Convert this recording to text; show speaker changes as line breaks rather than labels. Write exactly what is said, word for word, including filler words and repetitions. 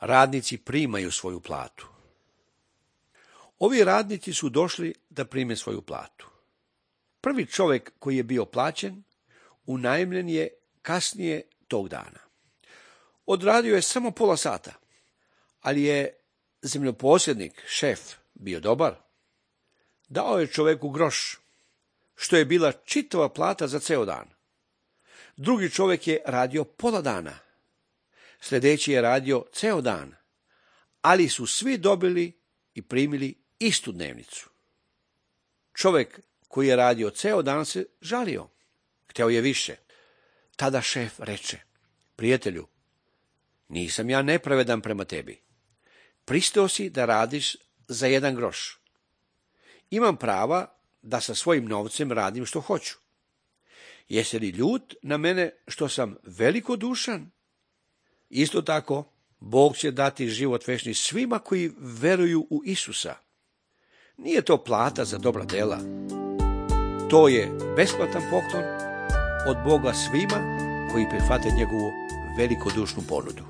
radnici primaju svoju platu. Ovi radnici su došli da prime svoju platu. Prvi čovjek koji je bio plaćen, unajmljen je kasnije tog dana. Odradio je samo pola sata, ali je zemljoposjednik, šef, bio dobar. Dao je čovjeku groš, što je bila čitava plata za ceo dan. Drugi čovjek je radio pola dana. Sljedeći je radio ceo dan, ali su svi dobili i primili istu dnevnicu. Čovjek koji je radio ceo dan se žalio. Hteo je više. Tada šef reče: prijatelju, nisam ja nepravedan prema tebi. Pristao si da radiš za jedan groš. Imam prava da sa svojim novcem radim što hoću. Jesi li ljut na mene što sam velikodušan? Isto tako, Bog će dati život večni svima koji veruju u Isusa. Nije to plata za dobra dela. To je besplatan poklon od Boga svima koji prihvate njegovu velikodušnu ponudu.